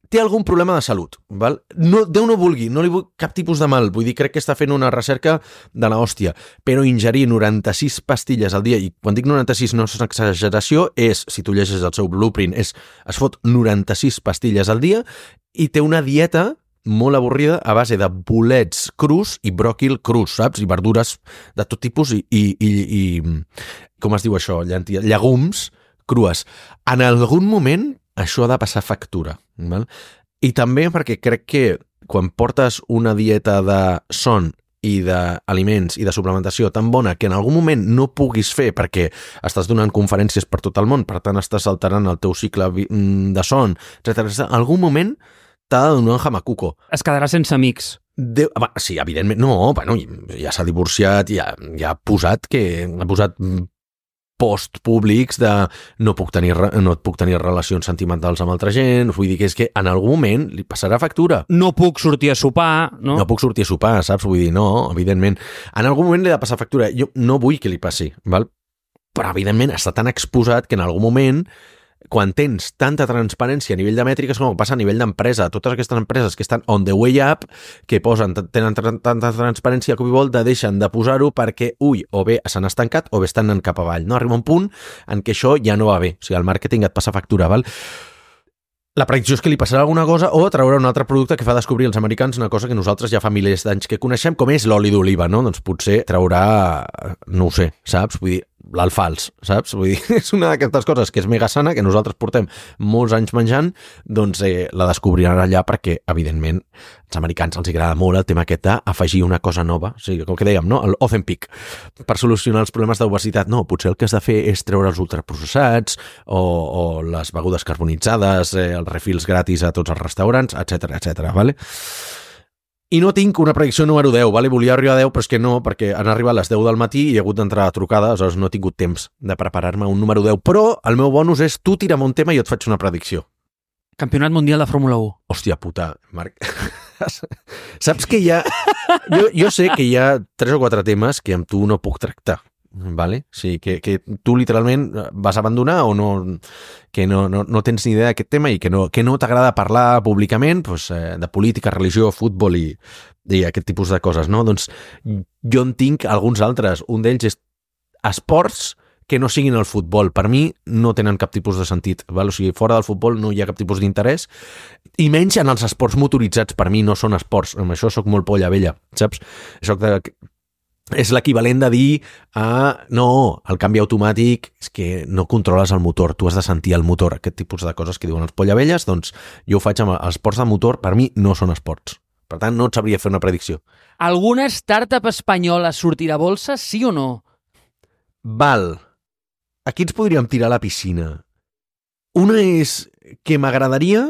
té algun problema de salut, val? No, Déu no vulgui, no li vull cap tipus de mal, vull dir, crec que està fent una recerca de la hòstia, però ingerir 96 pastilles al dia, i quan dic 96 no és una exageració, és, si tu llegeixes el seu blueprint, es fot 96 pastilles al dia i té una dieta molt avorrida a base de bolets crus i bròquil crus, saps? I verdures de tot tipus i com es diu això? Llegums crues. En algun moment això ha de passar factura, val? I també perquè crec que quan portes una dieta de son i d'aliments i de suplementació tan bona que en algun moment no puguis fer perquè estàs donant conferències per tot el món, per tant estàs alterant el teu cicle de son, etc. En algun moment t'ha de donar un jamacuco.
Es quedarà sense amics.
Sí, evidentment. No, bueno, ja s'ha divorciat, ja ha posat post públics de no puc tenir relacions sentimentals amb altra gent, vull dir que és que en algun moment li passarà factura.
No puc sortir a sopar, no?
No puc sortir a sopar, saps? Vull dir, no, evidentment. En algun moment li ha de passar factura. Jo no vull que li passi, val? Però evidentment està tan exposat que en algun moment, quan tens tanta transparència a nivell de mètriques com passa a nivell d'empresa, totes aquestes empreses que estan on the way up, que tenen tanta transparència com volta, deixen de posar-ho perquè, o bé s'han estancat o bé estan anant cap avall. No? Arriba un punt en què això ja no va bé. O sigui, el màrqueting et passa factura, val? La predicció és que li passarà alguna cosa o traurà un altre producte que fa descobrir als americans una cosa que nosaltres ja fa milers d'anys que coneixem, com és l'oli d'oliva, no? Doncs potser traurà, no ho sé, saps? Vull dir, l'alfals, saps? Vull dir, és una d'aquestes coses que és mega sana, que nosaltres portem molts anys menjant, doncs la descobriran allà perquè, evidentment, als americans els agrada molt el tema aquest d'afegir una cosa nova, o sigui, com que dèiem, no? El Ozempic, per solucionar els problemes d'obesitat. No, potser el que has de fer és treure els ultraprocessats o les begudes carbonitzades, els refils gratis a tots els restaurants, etc, vale? I no tinc una predicció número 10, vale? Volia arribar a 10, però és que no, perquè han arribat les 10 del matí i he hagut d'entrar a trucada, aleshores no he tingut temps de preparar-me un número 10. Però el meu bonus és tu tira'm un tema i jo et faig una predicció.
Campionat Mundial de Fórmula 1.
Hòstia puta, Marc. Saps que hi ha... Jo sé que hi ha 3 o 4 temes que amb tu no puc tractar. Vale? Sí, que tu literalment vas abandonar o no, que no tens ni idea d'aquest tema i que no t'agrada parlar públicament pues, de política, religió, futbol i aquest tipus de coses, no? Doncs jo en tinc alguns altres. Un d'ells és esports que no siguin el futbol. Per mi no tenen cap tipus de sentit. Val? O sigui, fora del futbol no hi ha cap tipus d'interès i menys en els esports motoritzats. Per mi no són esports. Amb això soc molt polla vella, saps? És l'equivalent de dir no, el canvi automàtic és que no controles el motor, tu has de sentir el motor, aquest tipus de coses que diuen els pollavelles, doncs jo ho faig amb els esports de motor, per mi no són esports. Per tant, no et sabria fer una predicció.
Alguna startup espanyola sortirà a bolsa, sí o no?
Val. Aquí ens podríem tirar a la piscina. Una és que m'agradaria,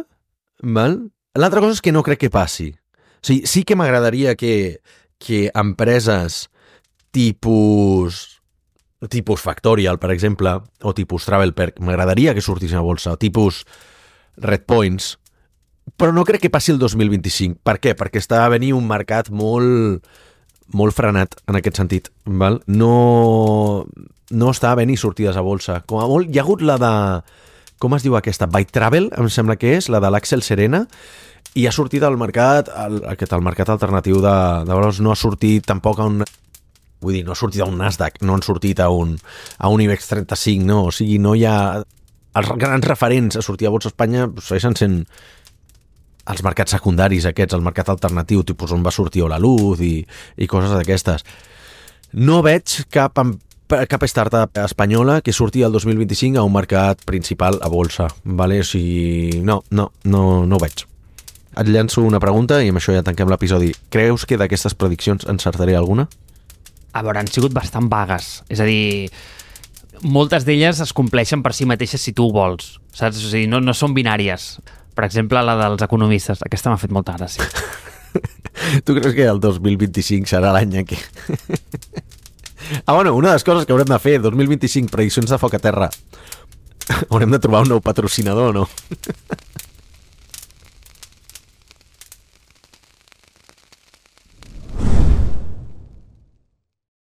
val? L'altra cosa és que no crec que passi. O sigui, sí que m'agradaria que empreses tipus Factorial, per exemple, o tipus Travelperk, m'agradaria que sortissin a bolsa, o tipus Redpoints, però no crec que passi el 2025. Per què? Perquè està a venir un mercat molt frenat en aquest sentit. Val? No està a venir sortides a bolsa. Com a molt, hi ha hagut la de... Com es diu aquesta? Byte Travel, em sembla que és, la de l'Axel Serena, i ha sortit al mercat, el mercat alternatiu de valors, no ha sortit tampoc a un... Vull dir, no ha sortit a un Nasdaq, no han sortit a un IBEX 35, no, o sigui, no hi ha... Els grans referents a sortir a Bolsa Espanya segueixen sent els mercats secundaris aquests, el mercat alternatiu, tipus on va sortir la Luz i coses d'aquestes. No veig cap startup espanyola que surti el 2025 a un mercat principal a bolsa, vale? O sigui, no ho veig. Et llanço una pregunta i amb això ja tanquem l'episodi. Creus que d'aquestes prediccions encertaré alguna?
A veure, han sigut bastant vagues. És a dir, moltes d'elles es compleixen per si mateixes si tu ho vols. Saps? O sigui, no són binàries. Per exemple, la dels economistes. Aquesta m'ha fet molta gràcia.
Tu creus que el 2025 serà l'any en què... bueno, una de les coses que haurem de fer, 2025, prediccions de foc a terra. Haurem de trobar un nou patrocinador, no?